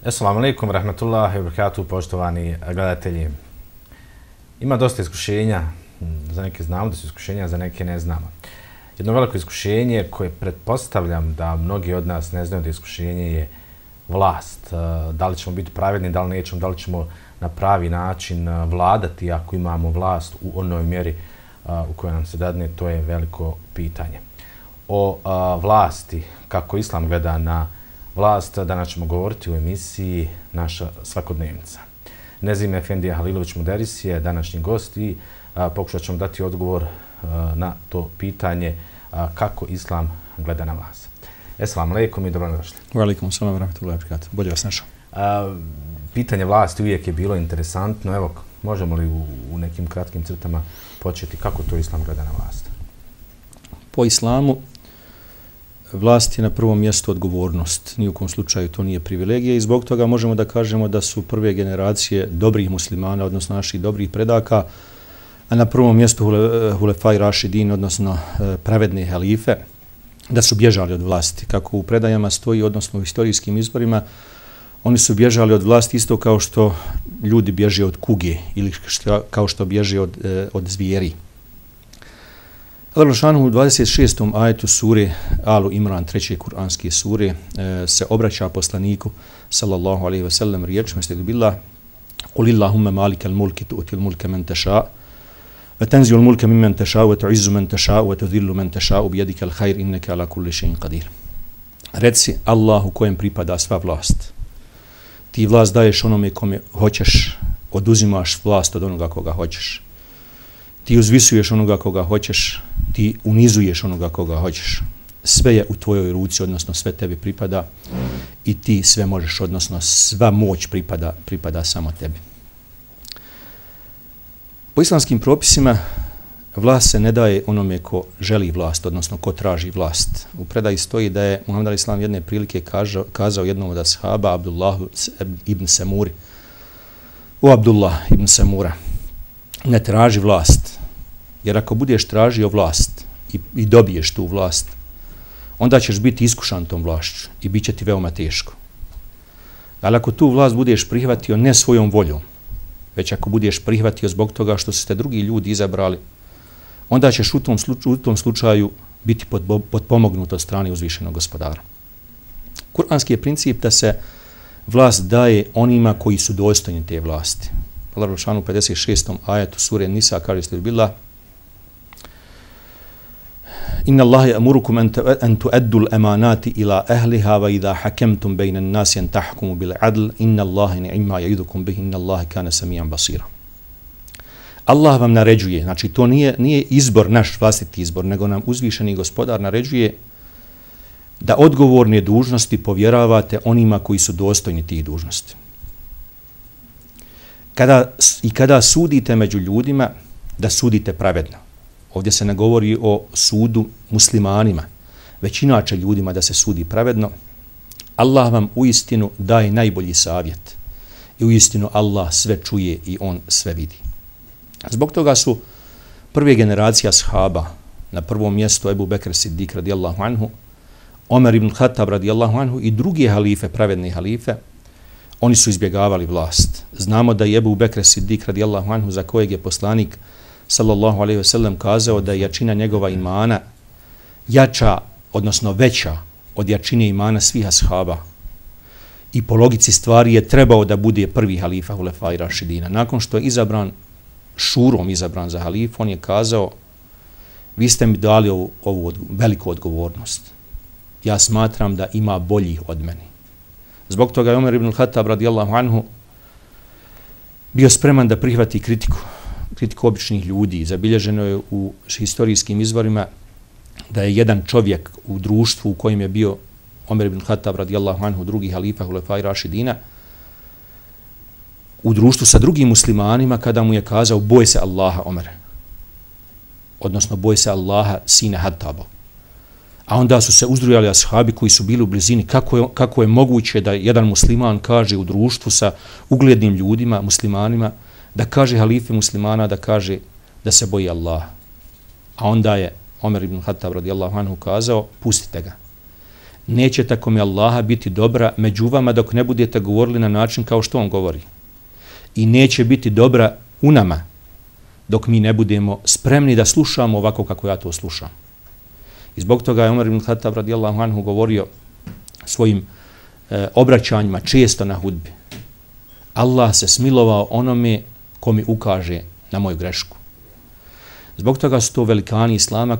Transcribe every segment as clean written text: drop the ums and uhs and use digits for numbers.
Assalamu alaikum, rahmatullahi wa barakatuh, poštovani gledatelji. Ima dosta iskušenja, za neke znamo da su iskušenja, za neke ne znamo. Jedno veliko iskušenje koje pretpostavljam da mnogi od nas ne znaju da iskušenje je vlast. Da li ćemo biti pravedni, da li nećemo, da li ćemo na pravi način vladati ako imamo vlast u onoj mjeri u kojoj nam se dadne, to je veliko pitanje. O vlasti, kako Islam gleda na vlast, danas ćemo govoriti u emisiji Naša svakodnevnica. Nezime Efendija Halilović Muderis je današnji gost i pokušat ćemo dati odgovor na to pitanje kako Islam gleda na vas. Assalamu alaikum i dobrodošli. Wa alaikum assalam wa rahmatullahi wa barakatuh. Bolje vas našao. Pitanje vlasti uvijek je bilo interesantno. Evo, možemo li u nekim kratkim crtama početi kako to Islam gleda na vlast? Po islamu vlast je na prvom mjestu odgovornost. Ni u kom slučaju to nije privilegija i zbog toga možemo da kažemo da su prve generacije dobrih muslimana, odnosno naših dobrih predaka, a na prvom mjestu Hulefaj Rašidin, odnosno pravedne halife, da su bježali od vlasti. Kako u predajama stoji, odnosno u historijskim izborima, oni su bježali od vlasti isto kao što ljudi bježe od kuge ili kao što bježe od zvijeri. Allah Žešanu u 26. ajetu sure Alu Imran, 3. kuranske sure, se obraća poslaniku sallallahu alejhi ve sellem riječima billah Qul Allahumma malikal mulki tu'til mulka man tasha wa tanzi'ul mulka mimman tasha wa tu'izzu man tasha wa tudhillu man tasha bi yadikal khair innaka ala kulli shay'in qadir. Reci Allahu kojem pripada sva vlast. Ti vlast daješ onome kome hoćeš, oduzimaš vlast od onoga koga hoćeš. Ti uzvisuješ onoga koga hoćeš, ti unizuješ onoga koga hoćeš. Sve je u tvojoj ruci, odnosno sve tebi pripada i ti sve možeš, odnosno sva moć pripada samo tebi. Po islamskim propisima vlast se ne daje onome ko želi vlast, odnosno ko traži vlast. U predaji stoji da je Muhammed al-Islam jedne prilike kazao jednom od ashaba, Abdullahu ibn Samuri, o Abdullah ibn Samura, ne traži vlast, jer ako budeš tražio vlast i dobiješ tu vlast, onda ćeš biti iskušan tom vlašću i bit će ti veoma teško. Ali ako tu vlast budeš prihvatio ne svojom voljom, već ako budeš prihvatio zbog toga što su te drugi ljudi izabrali, onda ćeš u tom slučaju biti potpomognut od strane uzvišenog gospodara. Kur'anski je princip da se vlast daje onima koji su dostojni te vlasti. Allah Žešanu u 56. ajetu sure Nisa kaže billah Inna Allaha ya'murukum an tu'addu al-amanati ila ahliha wa idha hakamtum bayna an-nasi an tahkumu bil 'adl inna Allaha ni'ma ya'idukum bihi inna Allaha kana samian basira. Allah vam naređuje, znači to nije izbor, naš vlastiti izbor, nego nam uzvišeni gospodar naređuje da odgovorne dužnosti povjeravate onima koji su dostojni tih dužnosti. Kada sudite među ljudima, da sudite pravedno. Ovdje se ne govori o sudu muslimanima, već inače ljudima da se sudi pravedno. Allah vam uistinu daje najbolji savjet i uistinu Allah sve čuje i on sve vidi. Zbog toga su prve generacije ashaba, na prvom mjestu Ebu Bekr Siddiq radijallahu anhu, Omer ibn Khattab radijallahu anhu i drugi halife, pravedni halife, oni su izbjegavali vlast. Znamo da je Ebu Bekr Siddiq radijallahu anhu, za kojeg je poslanik sallallahu alejhi ve sellem kazao da je jačina njegova imana jača, odnosno veća od jačine imana svih ashaba. I po logici stvari je trebao da bude prvi halifa Hulefaj Rašidina. Nakon što je šurom izabran za halifu, on je kazao: vi ste mi dali ovu veliku odgovornost. Ja smatram da ima boljih od meni. Zbog toga je Omer ibn Khattab radijallahu anhu bio spreman da prihvati kritiku običnih ljudi. Zabilježeno je u historijskim izvorima da je jedan čovjek u društvu u kojem je bio Omer ibn Khattab radijallahu anhu, drugi halifa Hulefaj Rašidina, u društvu sa drugim muslimanima kada mu je kazao boj se Allaha Omere, odnosno boj se Allaha sine Hattabov. A onda su se uzdrujali ashabi koji su bili u blizini kako je moguće da jedan musliman kaže u društvu sa uglednim ljudima, muslimanima, da kaže halifi muslimana, da kaže da se boji Allaha. A onda je Omer ibn Khattab radijallahu anhu kazao, pustite ga. Neće tako mi Allaha biti dobra među vama dok ne budete govorili na način kao što on govori. I neće biti dobra u nama dok mi ne budemo spremni da slušamo ovako kako ja to slušam. I zbog toga je Omer ibn Khattab radijallahu anhu govorio svojim obraćanjima često na hudbi. Allah se smilovao onome ko mi ukaže na moju grešku. Zbog toga su to velikani islama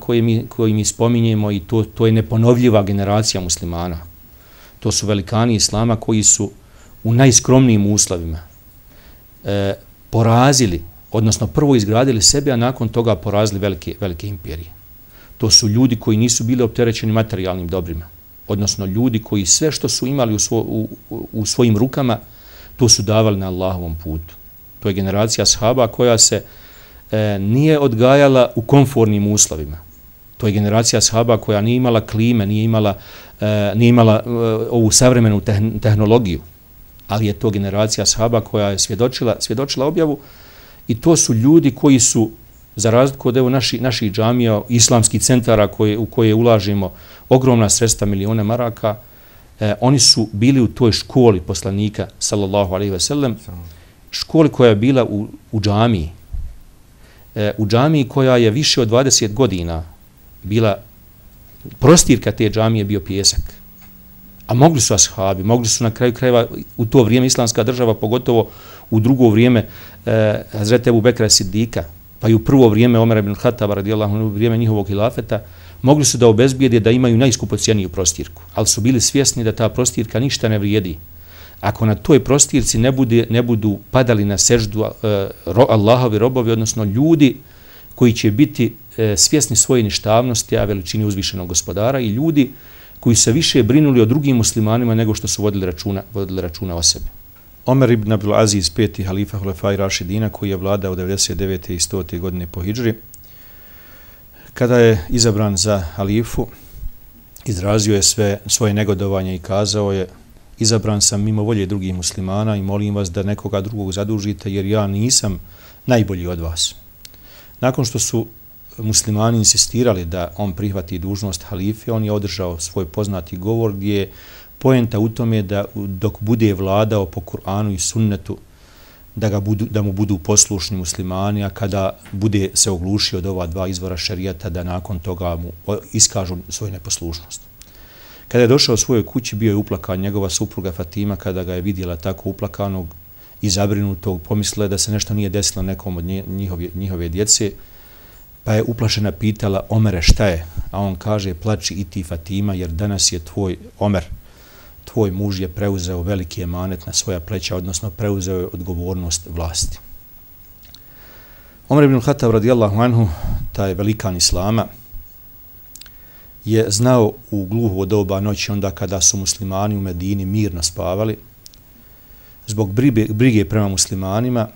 koji mi spominjemo i to je neponovljiva generacija muslimana. To su velikani islama koji su u najskromnijim uslovima porazili, odnosno prvo izgradili sebe, a nakon toga porazili velike imperije. To su ljudi koji nisu bili opterećeni materijalnim dobrima, odnosno ljudi koji sve što su imali u svojim rukama, to su davali na Allahovom putu. To je generacija ashaba koja se nije odgajala u komfornim uslovima. To je generacija ashaba koja nije imala klime, nije imala ovu savremenu tehnologiju, ali je to generacija ashaba koja je svjedočila objavu i to su ljudi koji su, za razliku od naših džamija, islamskih centara u koje ulažimo ogromna sredstva, milione maraka, oni su bili u toj školi poslanika, sallallahu alejhi ve sellem, školi koja je bila u džamiji. U džamiji koja je više od 20 godina bila, prostirka te džamije bio pijesak. A mogli su ashabi, mogli su na kraju krajeva u to vrijeme islamska država, pogotovo u drugo vrijeme Hazreti Ebu Bekra Sidika, pa i u prvo vrijeme Omera ibn Khattaba radijallahu anhu, u vrijeme njihovog hilafeta, mogli su da obezbijede da imaju najskupocijeniju prostirku, ali su bili svjesni da ta prostirka ništa ne vrijedi. Ako na toj prostirci ne budu padali na seždu Allahovi robovi, odnosno ljudi koji će biti svjesni svoje ništavnosti, a veličini uzvišenog gospodara, i ljudi koji se više brinuli o drugim muslimanima nego što su vodili računa o sebi. Omer ibn Abdul Aziz, peti halifa Hulefaj Rašidina, koji je vladao 99. i 100. godine po hidžri, kada je izabran za halifu, izrazio je svoje negodovanje i kazao je: izabran sam mimo volje drugih muslimana i molim vas da nekoga drugog zadužite jer ja nisam najbolji od vas. Nakon što su muslimani insistirali da on prihvati dužnost halife, on je održao svoj poznati govor gdje je poenta u tome da dok bude vladao po Kur'anu i sunnetu, da mu budu poslušni muslimani, a kada bude se oglušio od ova dva izvora šerijata, da nakon toga mu iskažu svoju neposlušnost. Kada je došao u svojoj kući, bio je uplakan njegova supruga Fatima. Kada ga je vidjela tako uplakanog i zabrinutog, pomislila je da se nešto nije desilo nekom od njihove djece, pa je uplašena pitala: Omere, šta je? A on kaže: plači i ti, Fatima, jer danas je tvoj Omer, tvoj muž je preuzeo veliki emanet na svoja pleća, odnosno preuzeo je odgovornost vlasti. Omer ibn Khattab radijallahu anhu, taj velikan islama, je znao u gluho doba noći, onda kada su muslimani u Medini mirno spavali, zbog brige prema muslimanima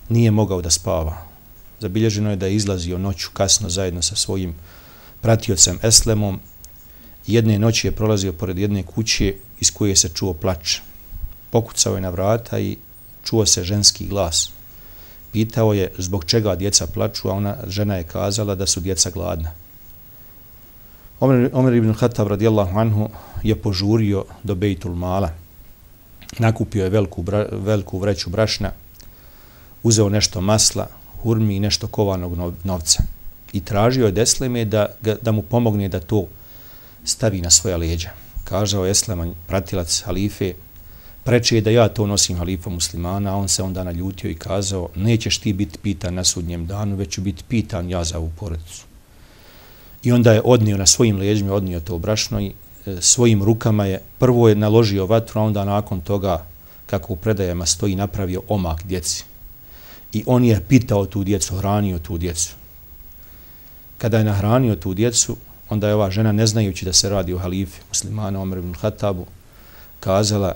nije mogao da spava. Zabilježeno je da je izlazio noću kasno zajedno sa svojim pratiocem Eslemom. Jedne noći je prolazio pored jedne kuće iz koje se čuo plač. Pokucao je na vrata i čuo se ženski glas. Pitao je zbog čega djeca plaču, a žena je kazala da su djeca gladna. Omer ibn Khattab radijallahu anhu je požurio do Bejtul Mala. Nakupio je veliku vreću brašna, uzeo nešto masla, hurmi i nešto kovanog novca i tražio je Esleme da mu pomogne da to stavi na svoja leđa. Kazao je Esleman, pratilac halife: preče je da ja to nosim halifom muslimana. A on se onda naljutio i kazao: nećeš ti biti pitan na sudnjem danu, već ću biti pitan ja za ovu porodicu. I onda je odnio na svojim leđima, odnio to brašno i svojim rukama je prvo je naložio vatru, a onda nakon toga, kako u predajama stoji, napravio omak djeci. I on je pitao tu djecu, hranio tu djecu. Kada je nahranio tu djecu, onda je ova žena, ne znajući da se radi o halifi muslimana Omer ibn Hatabu, kazala: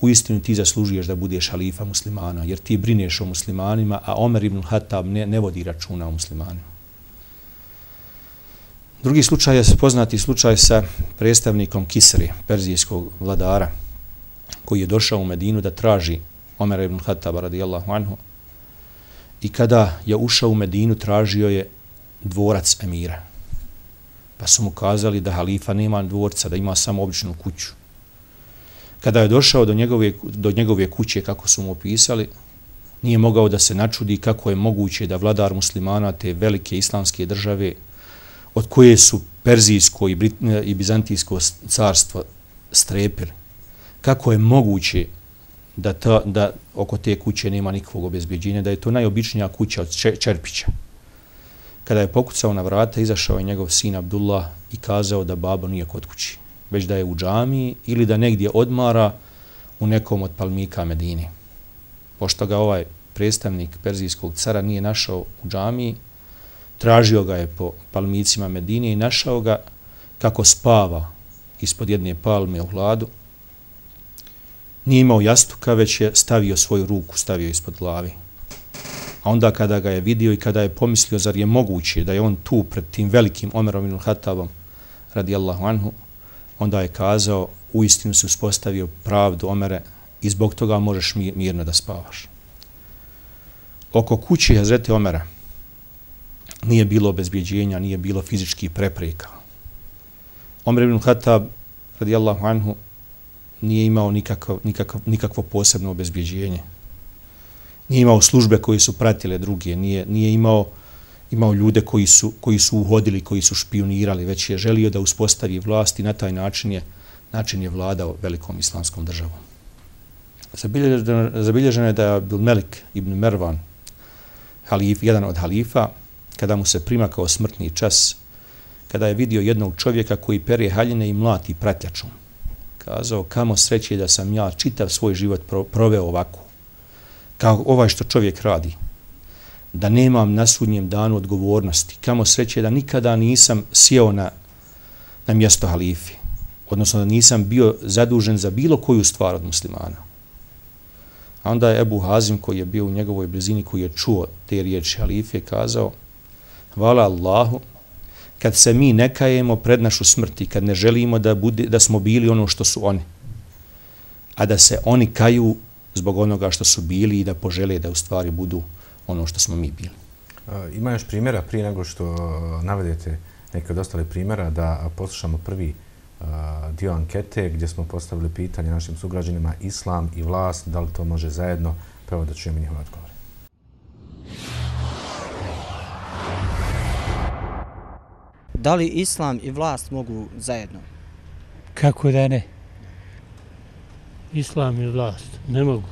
uistinu ti zaslužuješ da budeš halifa muslimana, jer ti brineš o muslimanima, a Omer ibn Hatab ne vodi računa o muslimanima. Drugi slučaj je poznati slučaj sa predstavnikom Kisri, perzijskog vladara, koji je došao u Medinu da traži Omera ibn Hataba radijallahu anhu, i kada je ušao u Medinu tražio je dvorac emira. Pa su mu kazali da halifa nema dvorca, da ima samo običnu kuću. Kada je došao do njegove kuće, kako su mu opisali, nije mogao da se načudi kako je moguće da vladar muslimana te velike islamske države, od koje su Perzijsko i Bizantijsko carstvo strepili, kako je moguće da oko te kuće nema nikakvog obezbeđenja, da je to najobičnija kuća od čerpića. Kada je pokucao na vrata, izašao je njegov sin Abdullah i kazao da babo nije kod kući, već da je u džamiji ili da negdje odmara u nekom od palmika Medine. Pošto ga ovaj predstavnik perzijskog cara nije našao u džamiji, tražio ga je po palmicima Medine i našao ga kako spava ispod jedne palme u hladu. Nije imao jastuka, već je stavio svoju ruku, stavio ispod glavi. A onda kada ga je vidio i kada je pomislio zar je moguće da je on tu pred tim velikim Omerom ibn Hatabom radijallahu anhu, onda je kazao: uistinu se uspostavio pravdu, Omere, i zbog toga možeš mirno da spavaš. Oko kuće Hazreti Omera nije bilo obezbjeđenja, nije bilo fizičkih prepreka. Omer ibn Hatab radijallahu anhu nije imao nikakvo posebno obezbjeđenje. Nije imao službe koji su pratile druge, nije imao ljude koji su uhodili, koji su špionirali, već je želio da uspostavi vlast i na taj način je vladao velikom islamskom državom. Zabilježeno je da je Abdul Melik ibn Mervan, jedan od halifa, kada mu se primakao smrtni čas, kada je vidio jednog čovjeka koji pere haljine i mlati pratljačom, kazao: kamo sreće da sam ja čitav svoj život proveo ovako, kao ovaj što čovjek radi, da nemam na sudnjem danu odgovornosti, kamo sreće da nikada nisam sjeo na mjesto halifi, odnosno da nisam bio zadužen za bilo koju stvar od muslimana. A onda je Ebu Hazim, koji je bio u njegovoj blizini, koji je čuo te riječi halife, kazao: hvala Allahu, kad se mi ne kajemo pred našu smrt i kad ne želimo da smo bili ono što su oni, a da se oni kaju zbog onoga što su bili i da požele da u stvari budu ono što smo mi bili. Ima još primjera prije nego što navedete neke od ostalih primjera, da poslušamo prvi dio ankete gdje smo postavili pitanje našim sugrađanima: islam i vlast, da li to može zajedno? Prvo da čujemo njihove odgovore. Da li islam i vlast mogu zajedno? Kako da ne? Islam i vlast ne mogu.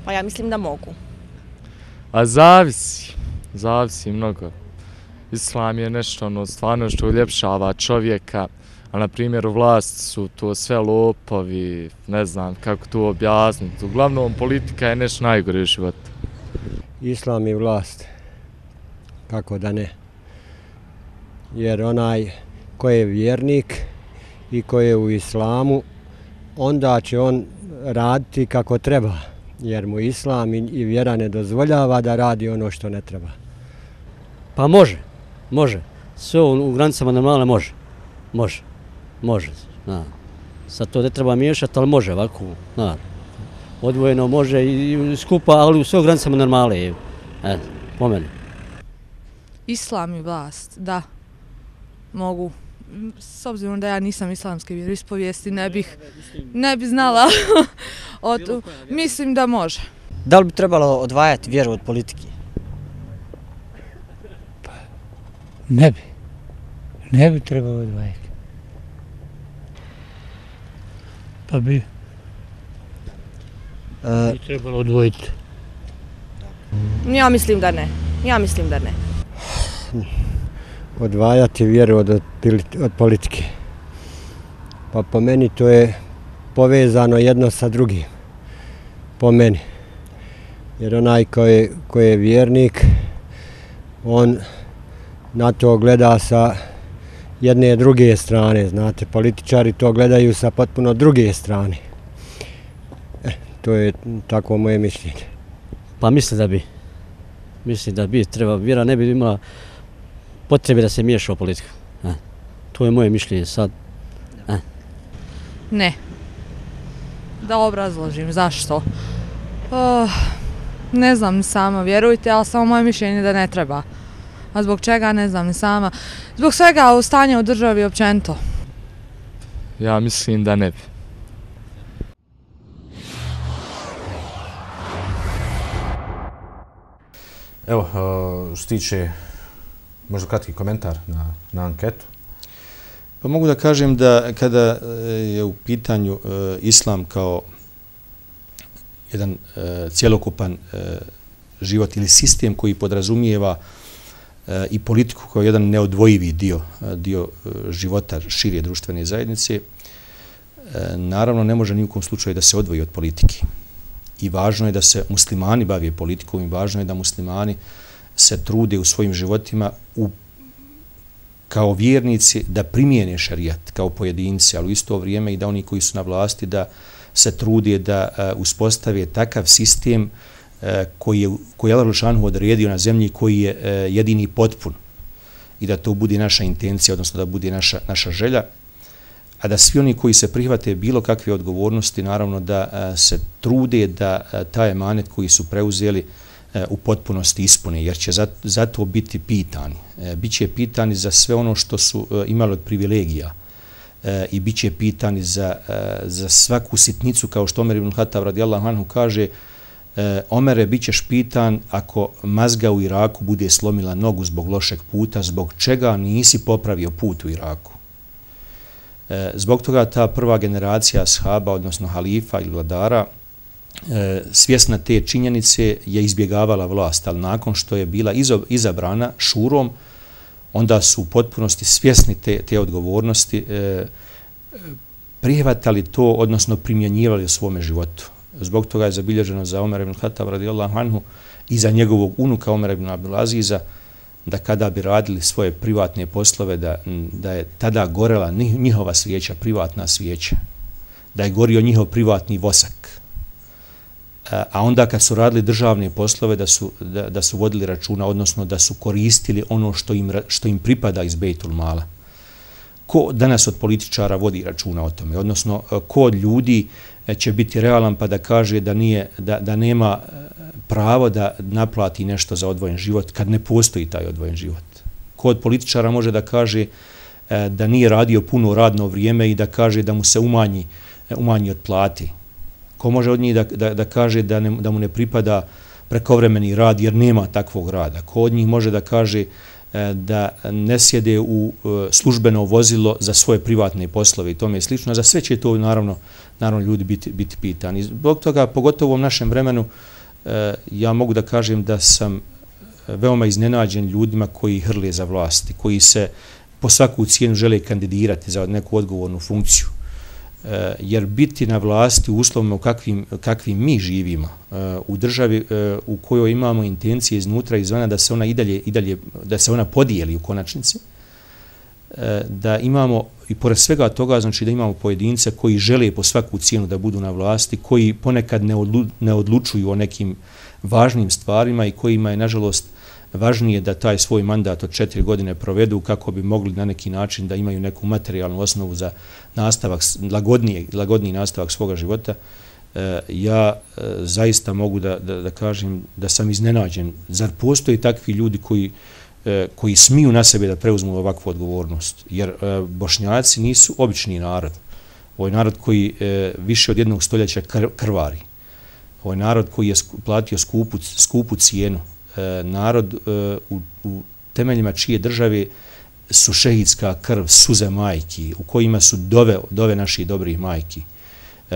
Pa ja mislim da mogu. A zavisi mnogo. Islam je nešto stvarno što uljepšava čovjeka, a na primjer vlast su to sve lopovi, ne znam kako to objasniti. Uglavnom politika je nešto najgore u životu. Islam i vlast, kako da ne? Jer onaj ko je vjernik i ko je u islamu, onda će on raditi kako treba, jer mu islam i vjera ne dozvoljava da radi ono što ne treba. Pa može. Sve u granicama normale može. Sad to ne treba miješati, ali može ovako. Odvojeno može i skupa, ali u sve u granicama normale. Po meni. Islam i vlast, da. Mogu. S obzirom da ja nisam islamske vjeroispovijesti, ne bi znala. Mislim da može. Da li bi trebalo odvajati vjeru od politike? Ne bi trebalo odvajati. Pa bi trebalo odvojiti. Ja mislim da ne. Odvajati vjeru od politike. Pa po meni to je povezano jedno sa drugim. Po meni. Jer onaj ko je vjernik, on na to gleda sa jedne druge strane, znate, političari to gledaju sa potpuno druge strane. To je tako moje mišljenje. Pa mislim da bi treba, vjera ne bi imala potrebe da se miješa u politiku. To je moje mišljenje sad. Ne. Da obrazložim zašto. Ne znam ni sama, vjerujte, ali samo moje mišljenje da ne treba. A zbog čega ne znam ni sama. Zbog svega u stanju u državi općenito. Ja mislim da ne bi. Evo, što se tiče možda kratki komentar na anketu. Pa mogu da kažem da kada je u pitanju islam kao jedan cjelokupan život ili sistem koji podrazumijeva i politiku kao jedan neodvojivi dio života šire društvene zajednice, naravno ne može ni u kom slučaju da se odvoji od politike. I važno je da se muslimani bave politikom i važno je da muslimani se trude u svojim životima kao vjernici da primijene šerijat kao pojedinci, ali u isto vrijeme i da oni koji su na vlasti da se trude da uspostave takav sistem koji je Allah dželešanu odredio na zemlji, koji je jedini potpun i da to bude naša intencija, odnosno da bude naša želja, a da svi oni koji se prihvate bilo kakve odgovornosti, naravno da se trude da taj emanet koji su preuzeli u potpunosti ispune, jer će za to biti pitani. Biće pitani za sve ono što su imali od privilegija i biće pitani za svaku sitnicu, kao što Omer ibn Khattab radijallahu anhu kaže: Omere, bit ćeš pitan ako mazga u Iraku bude slomila nogu zbog lošeg puta, zbog čega nisi popravio put u Iraku. Zbog toga ta prva generacija ashaba, odnosno halifa ili vladara, svjesna te činjenice je izbjegavala vlast, ali nakon što je bila izabrana šurom, onda su u potpunosti svjesni te odgovornosti, prihvatali to, odnosno primjenjivali u svome životu. Zbog toga je zabilježeno za Omer ibn Khattab radijallahu anhu i za njegovog unuka Omer ibn Abdul Aziza, da kada bi radili svoje privatne poslove, da je tada gorela njihova svijeća, privatna svijeća, da je gorio njihov privatni vosak. A onda kad su radili državne poslove, da su vodili računa, odnosno da su koristili ono što im pripada iz Bejtul Mala. Ko danas od političara vodi računa o tome? Odnosno, ko od ljudi će biti realan pa da kaže da nema pravo da naplati nešto za odvojen život kad ne postoji taj odvojen život? Ko od političara može da kaže da nije radio puno radno vrijeme i da kaže da mu se umanji od plati? Ko može od njih da kaže da mu ne pripada prekovremeni rad jer nema takvog rada? Ko od njih može da kaže da ne sjede u službeno vozilo za svoje privatne poslove i tome slično? Za sve će to naravno ljudi biti pitani. Zbog toga, pogotovo u ovom našem vremenu, ja mogu da kažem da sam veoma iznenađen ljudima koji hrle za vlasti, koji se po svaku cijenu žele kandidirati za neku odgovornu funkciju. Jer biti na vlasti u uslovima u kakvim mi živimo, u državi u kojoj imamo intencije iznutra i izvana da se ona i dalje da se ona podijeli u konačnici, da imamo i pored svega toga, znači da imamo pojedince koji žele po svaku cijenu da budu na vlasti, koji ponekad ne odlučuju o nekim važnim stvarima i kojima je nažalost važnije da taj svoj mandat od 4 godine provedu kako bi mogli na neki način da imaju neku materijalnu osnovu za nastavak, lagodniji nastavak svoga života. Ja zaista mogu da kažem da sam iznenađen. Zar postoji takvi ljudi koji smiju na sebe da preuzmu ovakvu odgovornost? Jer Bošnjaci nisu obični narod. Ovo je narod koji više od 1 stoljeća krvari. Ovo je narod koji je platio skupu cijenu. Narod u temeljima čije države su šehidska krv, suze majki, u kojima su dove naših dobrih majki.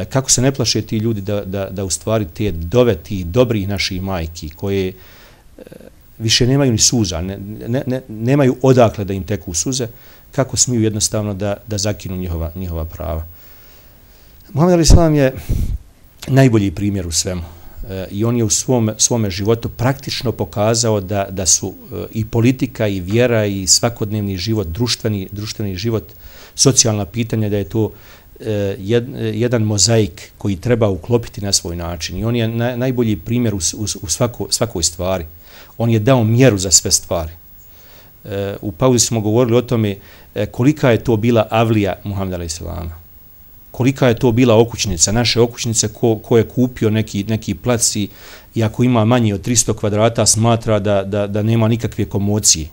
Kako se ne plaše ti ljudi da u stvari te dove tih dobrih naših majki, koje više nemaju ni suza, nemaju odakle da im teku suze, kako smiju jednostavno da zakinu njihova prava. Muhammed a.s. je najbolji primjer u svemu. i on je u svome životu praktično pokazao da su i politika i vjera i svakodnevni život, društveni život, socijalna pitanja, da je to jedan mozaik koji treba uklopiti na svoj način. I on je najbolji primjer u svakoj stvari. On je dao mjeru za sve stvari. U pauzi smo govorili o tome kolika je to bila avlija Muhameda a.s. Kolika je to bila okućnica, naše okućnice, ko je kupio neki plac i ako ima manje od 300 kvadrata smatra da nema nikakve komocije.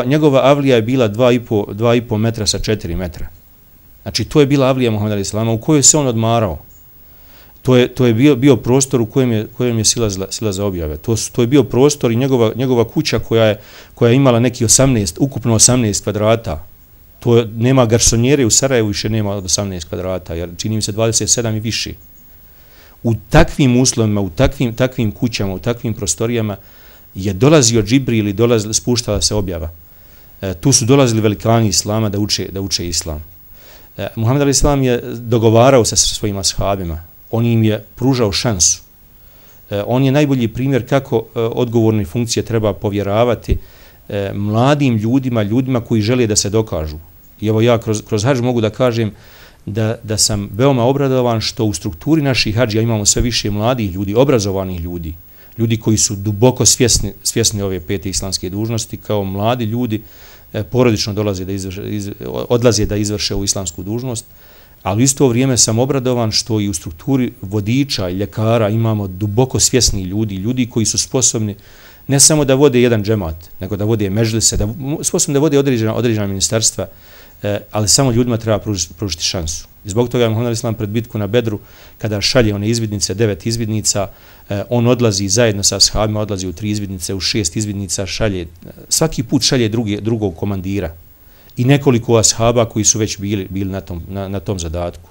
Njegova avlija je bila 2,5 metra sa 4 metra. Znači to je bila avlija Muhameda a.s. u kojoj se on odmarao. To je bio prostor u kojem je silazila objave. To je bio prostor i njegova kuća koja je imala neki ukupno 18 kvadrata. Nema garsonjere u Sarajevu, više nema od 18 kvadrata, jer čini mi se 27 i više. U takvim uslovima, u takvim kućama, u takvim prostorijama je dolazio Džibril i spuštala se objava. Tu su dolazili velikani Islama da uče Islam. Muhammed a.s. je dogovarao se sa svojim ashabima. On im je pružao šansu. On je najbolji primjer kako odgovorne funkcije treba povjeravati mladim ljudima koji žele da se dokažu. I evo ja kroz hadž mogu da kažem da sam veoma obradovan što u strukturi naših hadžija imamo sve više mladih ljudi, obrazovanih ljudi koji su duboko svjesni ove 5 islamske dužnosti, kao mladi ljudi porodično odlaze da izvrše u islamsku dužnost, ali u isto vrijeme sam obradovan što i u strukturi vodiča i ljekara imamo duboko svjesni ljudi koji su sposobni ne samo da vode jedan džemat, nego da vode mežlise, sposobni da vode određena ministarstva, ali samo ljudima treba pružiti šansu. I zbog toga je Muhammed a.s. pred bitku na Bedru, kada šalje one izvidnice, 9 izvidnica, on odlazi zajedno sa ashabima, odlazi u 3 izvidnice, u 6 izvidnica svaki put šalje drugog komandira i nekoliko ashaba koji su već bili na tom zadatku.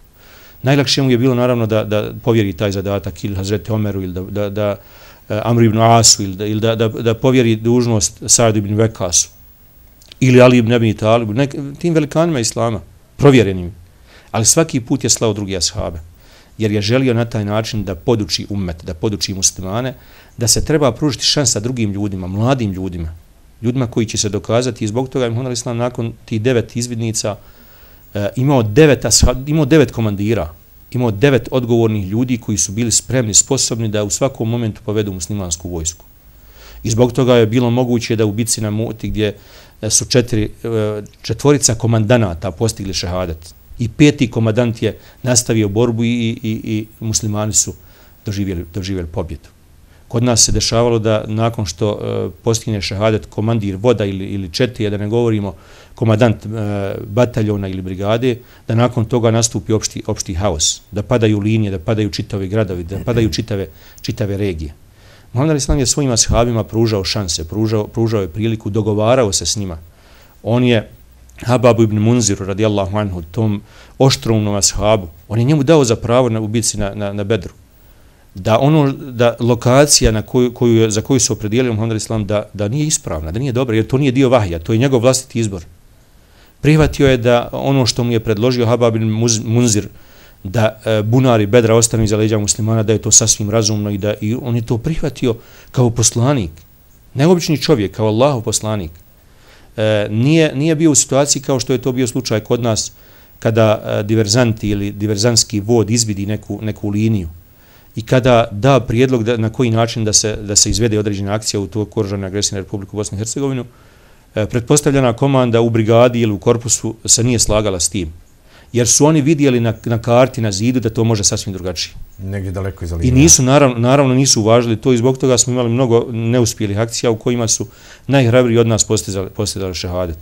Najlakše mu je bilo naravno da povjeri taj zadatak ili Hazreti Omeru ili da Amru ibn Asu ili da povjeri dužnost Sa'du ibn Vekasu ili Ali ibn Abi Talibu, tim velikanima Islama, provjerenim. Ali svaki put je slao drugi ashabe, jer je želio na taj način da poduči ummet, da poduči muslimane, da se treba pružiti šansa drugim ljudima, mladim ljudima koji će se dokazati. I zbog toga je Muhammed a.s. nakon tih 9 izvidnica imao 9 komandira, imao 9 odgovornih ljudi koji su bili spremni, sposobni da u svakom momentu povedu muslimansku vojsku. I zbog toga je bilo moguće da u bitci na Mu'ti, gdje su četvorica komandanata postigli šehadat i 5. komandant je nastavio borbu i muslimani su doživjeli pobjedu. Kod nas se dešavalo da nakon što postigne šehadat komandir voda ili četije, da ne govorimo komandant bataljona ili brigade, da nakon toga nastupi opšti haos, da padaju linije, da padaju čitavi gradovi, da padaju čitave regije. Muhammed a.s. je svojim ashabima pružao šanse, pružao je priliku, dogovarao se s njima. On je Hababu ibn Munziru, radijallahu anhu, tom oštrumnom ashabu, on je njemu dao za pravo u bitci na Bedru. Da lokacija za koju se opredijelio Muhammed a.s. da nije ispravna, da nije dobra, jer to nije dio vahija, to je njegov vlastiti izbor. Prihvatio je da ono što mu je predložio Habab ibn Munzir, da bunari Bedra ostanu iza leđa muslimana, da je to sasvim razumno i on je to prihvatio kao poslanik, neobični čovjek, kao Allahov poslanik. Nije bio u situaciji kao što je to bio slučaj kod nas, kada diverzanti ili diverzantski vod izvidi neku liniju i kada da prijedlog na koji način da se izvede određena akcija u toj oružanoj agresiji na Republiku Bosnu i Hercegovinu, pretpostavljena komanda u brigadi ili u korpusu se nije slagala s tim, jer su oni vidjeli na karti, na zidu, da to može sasvim drugačije. Negdje daleko iza linije. I nisu, naravno nisu uvažili to i zbog toga smo imali mnogo neuspjelih akcija u kojima su najhrabriji od nas postizali šehadet.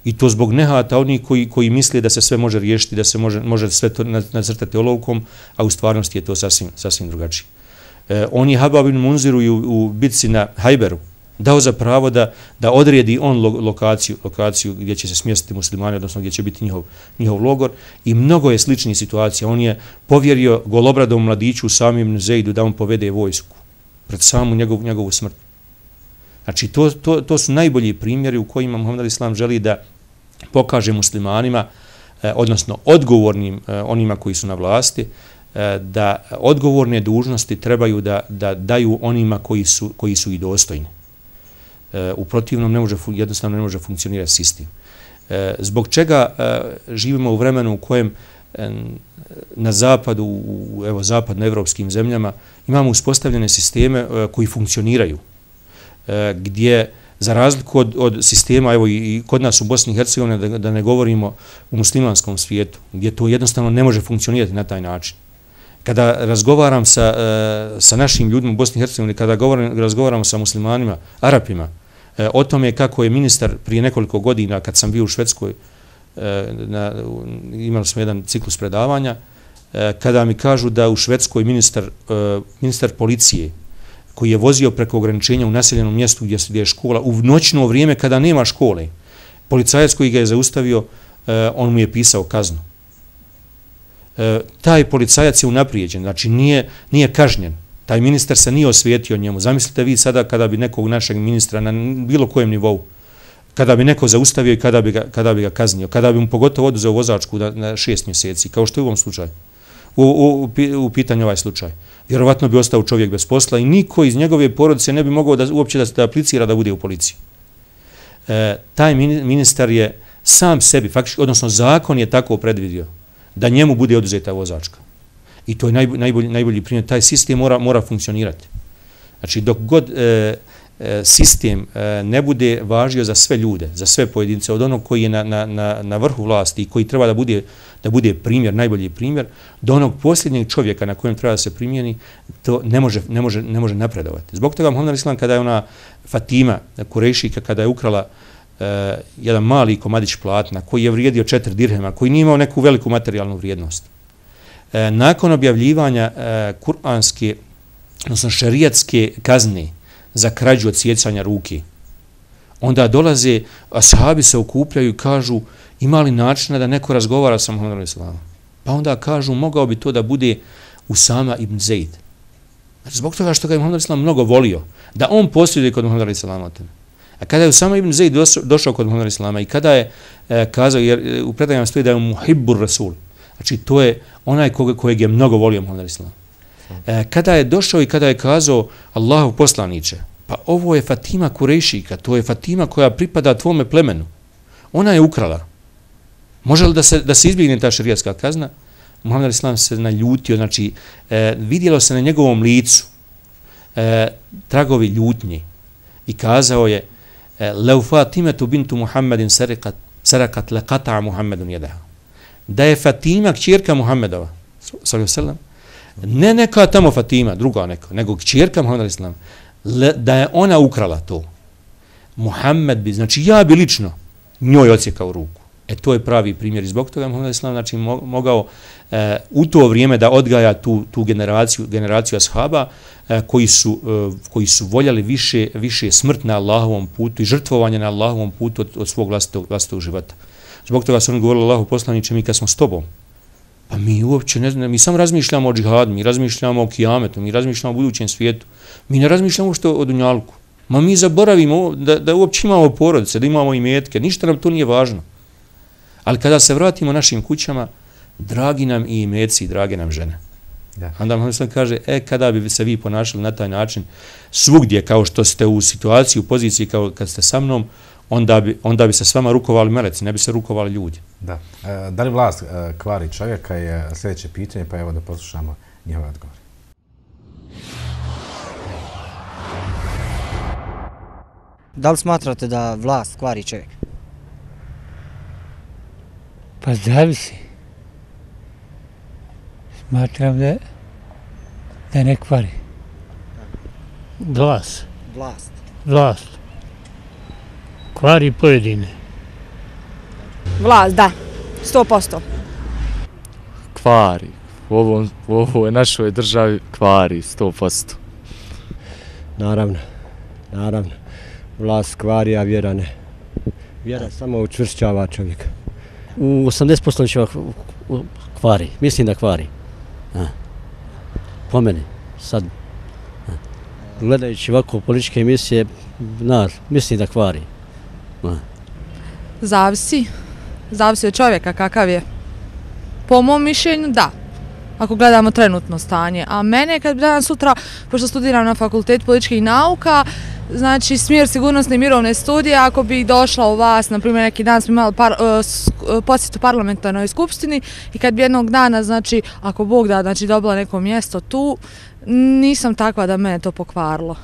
I to zbog nehata onih koji misle da se sve može riješiti, da se može sve to nacrtati olovkom, a u stvarnosti je to sasvim drugačije. On je Habab ibn Munziru u bitci na Hajberu dao za pravo da odredi on lokaciju gdje će se smjestiti muslimani, odnosno gdje će biti njihov logor, i mnogo je sličnih situacija. On je povjerio golobradom mladiću Usami ibn Zeidu da on povede vojsku pred samu njegovu smrt. Znači, to su najbolji primjeri u kojima Muhammed a.s. želi da pokaže muslimanima, odnosno odgovornim onima koji su na vlasti, da odgovorne dužnosti trebaju da daju onima koji su i dostojni. U protivnom jednostavno ne može funkcionirati sistem. Zbog čega živimo u vremenu u kojem na zapadu, u zapadnoevropskim zemljama, imamo uspostavljene sisteme koji funkcioniraju, gdje za razliku od sistema, evo i kod nas u Bosni i Hercegovini, da ne govorimo u muslimanskom svijetu, gdje to jednostavno ne može funkcionirati na taj način. Kada razgovaram sa našim ljudima u Bosni i Hercegovini, kada razgovaramo sa muslimanima, Arapima, o tome kako je ministar prije nekoliko godina, kad sam bio u Švedskoj, imali smo jedan ciklus predavanja, kada mi kažu da u Švedskoj ministar policije, koji je vozio preko ograničenja u naseljenom mjestu gdje je škola, u noćno vrijeme kada nema škole, policajac koji ga je zaustavio, on mu je pisao kaznu. Taj policajac je unaprijeđen, znači nije kažnjen. Taj ministar se nije osvijetio njemu. Zamislite vi sada kada bi nekog našeg ministra na bilo kojem nivou, kada bi neko zaustavio i kada bi ga kaznio, kada bi mu pogotovo oduzeo vozačku na 6 mjeseci, kao što je u ovom slučaju, u pitanju ovaj slučaj. Vjerovatno bi ostao čovjek bez posla i niko iz njegove porodice ne bi mogao uopće da aplicira da bude u policiji. Taj ministar je sam sebi, faktički, odnosno zakon je tako predvidio da njemu bude oduzeta vozačka. I to je najbolji primjer. Taj sistem mora funkcionirati. Znači, dok god sistem ne važio za sve ljude, za sve pojedince, od onog koji je na vrhu vlasti i koji treba da bude primjer, najbolji primjer, do onog posljednjeg čovjeka na kojem treba da se primjeni, to ne može napredovati. Zbog toga Muhammed Islam, kada je ona Fatima Kurejšika, kada je ukrala jedan mali komadić platna koji je vrijedio 4 dirhema, koji nije imao neku veliku materijalnu vrijednost, nakon objavljivanja kuranske, odnosno šerijatske kazne za krađu od sjecanja ruke, onda dolaze, ashabi se okupljaju i kažu, ima li načina da neko razgovara sa Muhammedom Islamom? Pa onda kažu, mogao bi to da bude Usama ibn Zaid. Znači, zbog toga što ga je Muhammed Islam mnogo volio, da on posjeduje kod Muhammeda Islama. A kada je Usama ibn Zaid došao kod Muhammeda Islama i kada je kazao, jer u predajama stoji da je muhibbur rasul, znači to je onaj kojeg je mnogo volio Muhammed Islam. Kada je došao i kada je kazao Allahu poslaniče, pa ovo je Fatima Kurejšika, to je Fatima koja pripada tvome plemenu. Ona je ukrala. Može li da se izbjegne ta šerijatska kazna? Muhammed Islam se naljutio, znači vidjelo se na njegovom licu tragovi ljutnje i kazao je Lau Fatimetu bintu Muhammedin sarakat laqata Muhammedun jedaha. Da je Fatima kćerka Muhammedova, sallallahu ne neka tamo Fatima, druga neka, nego kćerka Muhammeda Islama, da je ona ukrala to, Muhammed bi, znači ja bi lično njoj odsjekao ruku. To je pravi primjer i zbog toga Muhammed Islam, znači mogao u to vrijeme da odgaja tu generaciju ashaba koji su voljeli više smrt na Allahovom putu i žrtvovanje na Allahovom putu od svog vlastitog života. Zbog toga su oni govorili Allahu poslaniče, mi kad smo s tobom, pa mi uopće ne znamo, mi samo razmišljamo o džihadu, mi razmišljamo o kijametu, mi razmišljamo o budućem svijetu, mi ne razmišljamo što o dunjalku. Ma mi zaboravimo da uopće imamo porodice, da imamo imetke, ništa nam to nije važno. Ali kada se vratimo našim kućama, dragi nam i imeci, drage nam žene. Da. Onda Muhammed kaže, kada bi se vi ponašali na taj način, svugdje kao što ste u situaciji, u poziciji kao kad ste sa mnom, onda bi se s vama rukovali meleci, ne bi se rukovali ljudi. Da. Da li vlast kvari čovjeka je sljedeće pitanje, pa evo da poslušamo njihove odgovore. Da li smatrate da vlast kvari čovjeka? Pa zavisi. Smatram da ne kvari. Vlast. Kvari pojedine. Vlast, da. 100%. Kvari. U ovoj našoj državi kvari 100%. Naravno. Vlast kvari, a vjera ne. Vjera samo učvršćava čovjeka. U 80% će kvari. Mislim da kvari. Po meni. Sad. Gledajući ovako političke emisije, mislim da kvari. Zavisi od čovjeka kakav je. Po mom mišljenju, da. ako gledamo trenutno stanje. A mene kad bi danas sutra, pošto studiram na Fakultetu političkih nauka, znači smjer sigurnosne i mirovne studije, ako bi došla u vas, na primjer neki dan smo imali posjetu parlamentarnoj skupštini i kad bi jednog dana, znači ako Bog da, znači dobila neko mjesto tu, nisam takva da mene to pokvarilo.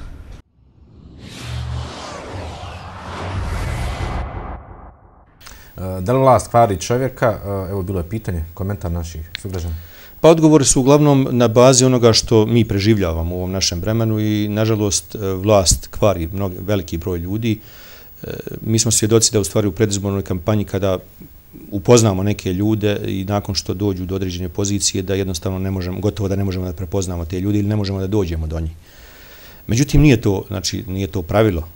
Da li vlast kvari čovjeka? Evo bilo je pitanje, komentar naših sugrađana. Pa odgovori su uglavnom na bazi onoga što mi preživljavamo u ovom našem vremenu i nažalost vlast kvari veliki broj ljudi. Mi smo svjedoci da u stvari u predizbornoj kampanji kada upoznamo neke ljude i nakon što dođu do određene pozicije da jednostavno ne možemo, gotovo da ne možemo da prepoznamo te ljude ili ne možemo da dođemo do njih. Međutim, nije to pravilo.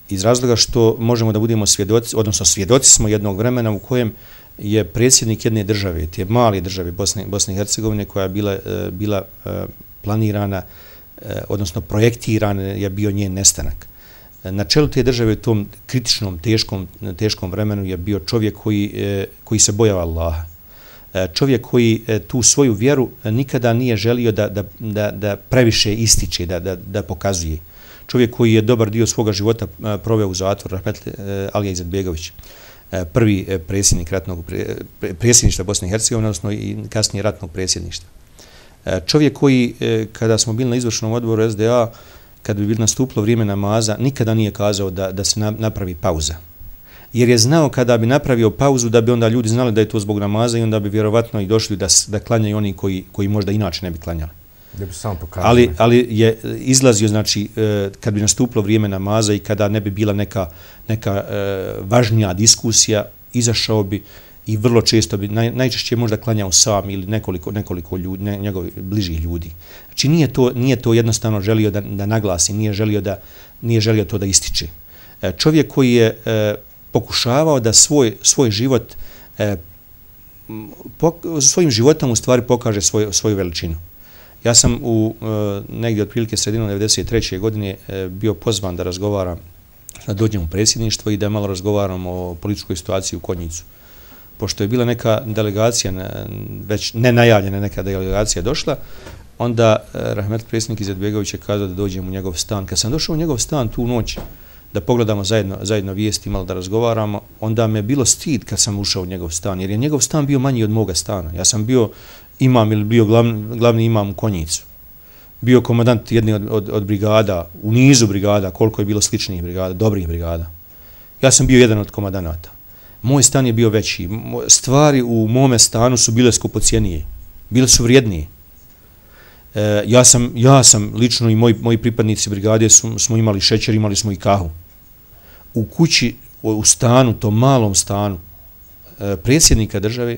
Iz razloga što možemo da budemo svjedoci, odnosno svjedoci smo jednog vremena u kojem je predsjednik jedne države, te male države Bosne i Hercegovine koja je bila planirana, odnosno projektirana, je bio njen nestanak. Na čelu te države u tom kritičnom, teškom vremenu je bio čovjek koji se bojao Allaha. Čovjek koji tu svoju vjeru nikada nije želio da previše ističe, da pokazuje. Čovjek koji je dobar dio svoga života proveo u zatvoru, rahmetli Alija Izetbegović, prvi predsjedništva Bosne i Hercegovine, odnosno i kasnije ratnog predsjedništva. Čovjek koji, kada smo bili na izvršnom odboru SDA, kad bi bilo nastupilo vrijeme namaza, nikada nije kazao da se napravi pauza. Jer je znao kada bi napravio pauzu da bi onda ljudi znali da je to zbog namaza i onda bi vjerovatno i došli da klanjaju oni koji možda inače ne bi klanjali. Ali je izlazio, znači, kad bi nastupilo vrijeme namaza i kada ne bi bila neka važnija diskusija, izašao bi i vrlo često bi, najčešće možda klanjao sam ili nekoliko ljudi, njegovih bližih ljudi. Znači, nije to jednostavno želio da naglasi, nije želio to da ističe. Čovjek koji je pokušavao da svoj život, svojim životom u stvari pokaže svoju veličinu. Ja sam negdje otprilike sredinom 1993. godine bio pozvan da razgovaram, da dođem u predsjedništvo i da malo razgovaram o političkoj situaciji u Konjicu. Pošto je bila neka delegacija, već nenajavljena neka delegacija došla, onda rahmetli predsjednik Izetbegović je kazao da dođem u njegov stan. Kad sam došao u njegov stan tu noć, da pogledamo zajedno vijesti, malo da razgovaramo, onda me je bilo stid kad sam ušao u njegov stan, jer je njegov stan bio manji od moga stana. Ja sam bio imam ili bio glavni imam u Konjicu. Bio komandant jedne od brigada, u nizu brigada, koliko je bilo sličnih brigada, dobrih brigada. Ja sam bio jedan od komandanata. Moj stan je bio veći. Stvari u mome stanu su bile skupocijenije. Bile su vrijednije. Ja sam lično i moji pripadnici brigade smo imali šećer, imali smo i kahu. U kući, u stanu, tom malom stanu predsjednika države,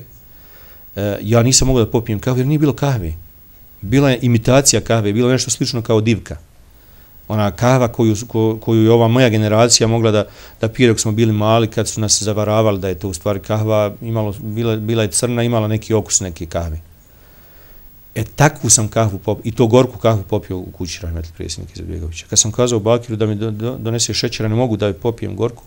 ja nisam mogao da popijem kahvu jer nije bilo kahve. Bila je imitacija kahve, bilo nešto slično kao divka. Ona kahva koju je ova moja generacija mogla da pije dok smo bili mali, kad su nas zavaravali da je to u stvari kahva, bila je crna, imala neki okus neke kahve. Takvu sam kahvu popio, i to gorku kahvu popio u kući rahmetli predsjednik Izetbegovića. Kad sam kazao Bakiru da mi donese šećera, ne mogu da popijem gorku,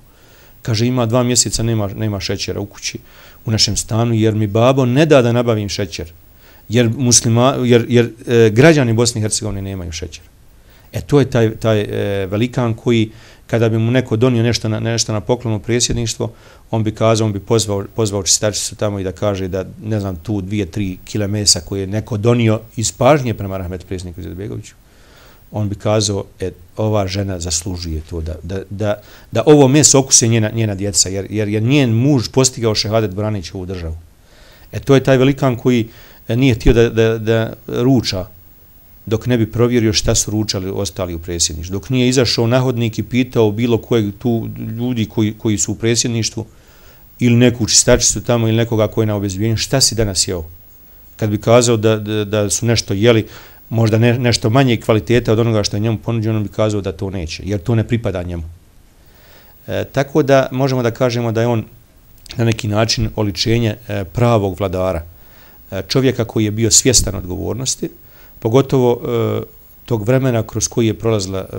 kaže ima 2 mjeseca nema šećera u kući, u našem stanu, jer mi babo ne da nabavim šećer, jer građani Bosne i Hercegovine nemaju šećer. To je taj velikan koji, kada bi mu neko donio nešto na poklonu predsjedništvo, on bi kazao, on bi pozvao čistačicu tamo i da kaže da, ne znam, tu 2-3 kile mesa koje je neko donio iz pažnje prema rahmetli predsjedniku Izetbegoviću, on bi kazao, ova žena zaslužuje to, da ovo meso okuse njena djeca, jer je njen muž postigao šehadet braneći ovu državu. To je taj velikan koji nije htio da ruča dok ne bi provjerio šta su ručali ostali u predsjedništvu. Dok nije izašao na hodnik i pitao bilo kojeg tu ljudi koji su u predsjedništvu ili neku čistačicu tamo ili nekoga koji je na obezbijenju, šta si danas jeo? Kad bi kazao da su nešto jeli, možda nešto manje kvaliteta od onoga što je njemu ponuđeno, on bi kazao da to neće, jer to ne pripada njemu. Tako da možemo da kažemo da je on na neki način oličenje pravog vladara, čovjeka koji je bio svjestan odgovornosti, pogotovo tog vremena kroz koji je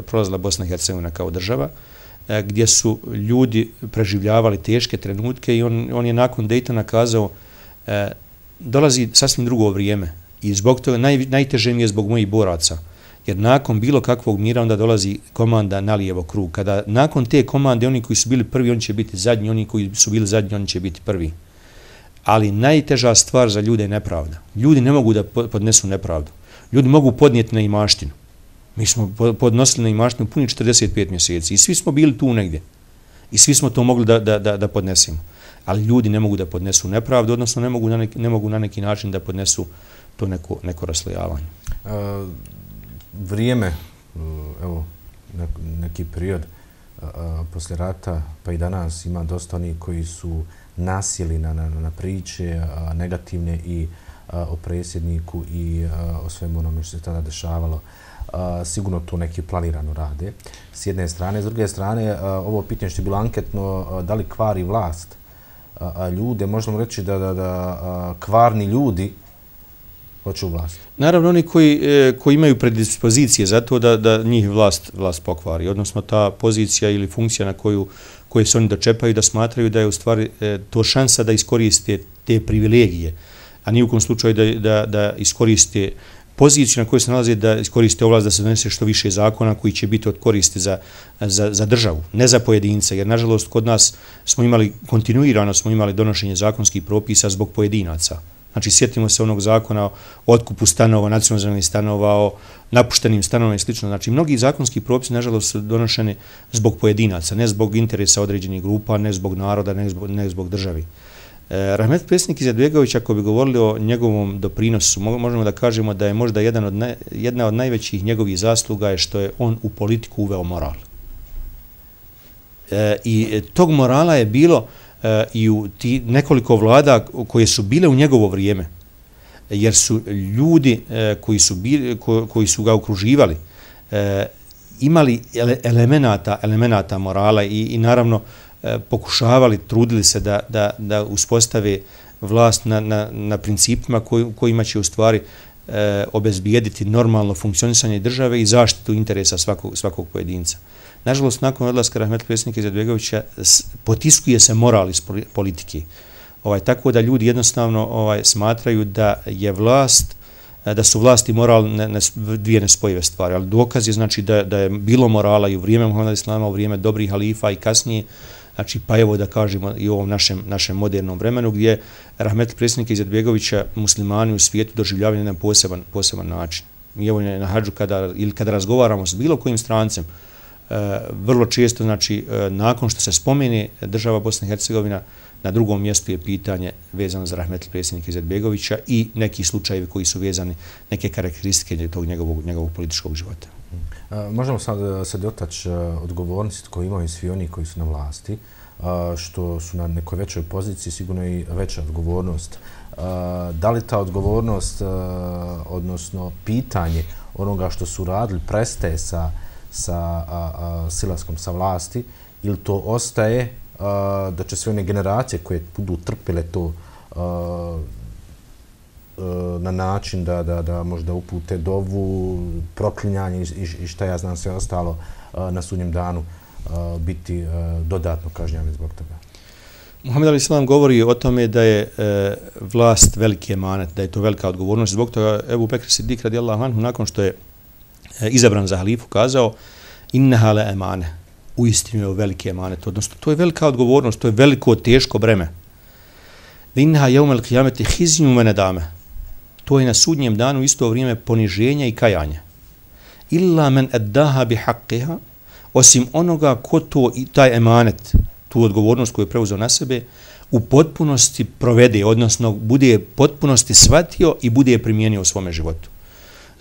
prolazila Bosna i Hercegovina kao država, gdje su ljudi preživljavali teške trenutke i on je nakon Dejtona kazao dolazi sasvim drugo vrijeme i zbog toga najteže mi je zbog mojih boraca. Jer nakon bilo kakvog mira onda dolazi komanda na lijevo krug. Kada nakon te komande oni koji su bili prvi, oni će biti zadnji, oni koji su bili zadnji, oni će biti prvi. Ali najteža stvar za ljude je nepravda. Ljudi ne mogu da podnesu nepravdu. Ljudi mogu podnijeti neimaštinu. Mi smo podnosili neimaštinu puni 45 mjeseci i svi smo bili tu negdje. I svi smo to mogli da podnesemo. Ali ljudi ne mogu da podnesu nepravdu, odnosno ne mogu na neki način da podnesu to neko raslojavanje. Vrijeme, evo, neki period poslije rata, pa i danas ima dosta onih koji su nasjeli na priče negativne i o predsjedniku i o svemu onome što se tada dešavalo. Sigurno to neki planirano rade. S jedne strane, s druge strane, ovo pitanje što je bilo anketno, da li kvari vlast ljude, možemo reći da kvarni ljudi hoće u vlast. Naravno, oni koji imaju predispozicije za to da njih vlast pokvari, odnosno ta pozicija ili funkcija na koje se oni dočepaju, da smatraju da je u stvari to šansa da iskoriste te privilegije, a ni u kom slučaju da iskoriste poziciju na kojoj se nalaze, da iskoriste ovlast da se donese što više zakona koji će biti od koristi za državu, ne za pojedinca, jer nažalost kod nas kontinuirano smo imali donošenje zakonskih propisa zbog pojedinaca. Znači, sjetimo se onog zakona o otkupu stanova, nacionalnih stanova, o napuštenim stanovima i sl. Znači, mnogi zakonski propisi, nažalost, su donošeni zbog pojedinaca, ne zbog interesa određenih grupa, ne zbog naroda, ne zbog državi. Rahmetli predsjednik Izetbegović, ako bi govorili o njegovom doprinosu, možemo da kažemo da je možda jedna od najvećih njegovih zasluga je što je on u politiku uveo moral. I tog morala je bilo i u nekoliko vlada koje su bile u njegovo vrijeme, jer su ljudi koji su ga okruživali imali elemenata morala i naravno pokušavali, trudili se da uspostave vlast na principima kojima će u stvari obezbijediti normalno funkcionisanje države i zaštitu interesa svakog pojedinca. Nažalost, nakon odlaska rahmetli predsjednika Izetbegovića potiskuje se moral iz politike. Tako da ljudi jednostavno smatraju da su vlast i moral dvije nespojive stvari. Ali dokaz je znači da je bilo morala i u vrijeme Muhameda Islama, u vrijeme dobrih halifa i kasnije, znači pa evo da kažemo i u ovom našem modernom vremenu gdje rahmetli predsjednika Izetbegovića muslimani u svijetu doživljavaju na jedan poseban način. Mi evo na hadžu kada razgovaramo s bilo kojim strancem, vrlo često, znači, nakon što se spomene država Bosna i Hercegovina, na drugom mjestu je pitanje vezano za rahmetli predsjednika Izetbegovića i neki slučajevi koji su vezani, neke karakteristike tog njegovog političkog života. Možemo sad se dotaći odgovornosti koje imaju svi oni koji su na vlasti, što su na nekoj većoj poziciji, sigurno i veća odgovornost. Da li ta odgovornost, odnosno pitanje onoga što su radili, prestaje sa silaskom sa vlasti, ili to ostaje da će sve one generacije koje budu trpile to na način da možda upute dovu, proklinjanje i šta ja znam sve ostalo na sudnjem danu biti dodatno kažnjavani zbog toga. Muhammed Ali Islam govori o tome da je vlast veliki emanet, da je to velika odgovornost. Zbog toga Ebu Bekr Siddik radijallahu anhu nakon što je izabran za halifu kazao inneha le emane, uistinu je veliki emanet, odnosno to je velika odgovornost, to je veliko teško breme. Inneha jeumel qiyameti hiznu me nedame, to je na sudnjem danu isto vrijeme poniženja i kajanja. Illa men eddaha bi haqqiha, osim onoga ko to i taj emanet, tu odgovornost koju je preuzeo na sebe, u potpunosti provede, odnosno bude potpunosti shvatio i bude je primijenio u svome životu.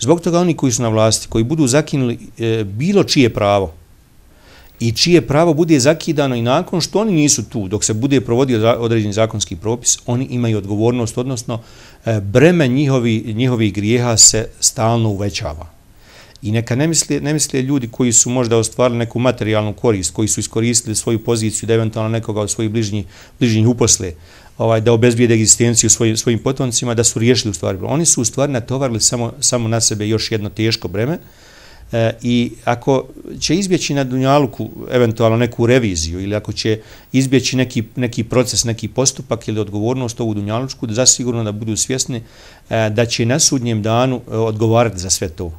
Zbog toga oni koji su na vlasti, koji budu zakinuli bilo čije pravo i čije pravo bude zakidano i nakon što oni nisu tu, dok se bude provodio određeni zakonski propis, oni imaju odgovornost, odnosno breme njihovih grijeha se stalno uvećava. I neka ne misle ljudi koji su možda ostvarili neku materijalnu korist, koji su iskoristili svoju poziciju da eventualno nekoga od svojih bližnjih uposle, da obezbijede egzistenciju svojim potomcima, da su riješili u stvari. Oni su u stvari natovarili samo na sebe još jedno teško breme, I ako će izbjeći na dunjaluku eventualno neku reviziju ili ako će izbjeći neki proces, neki postupak ili odgovornost ovu dunjalučku, da zasigurno da budu svjesni da će na sudnjem danu odgovarati za sve to.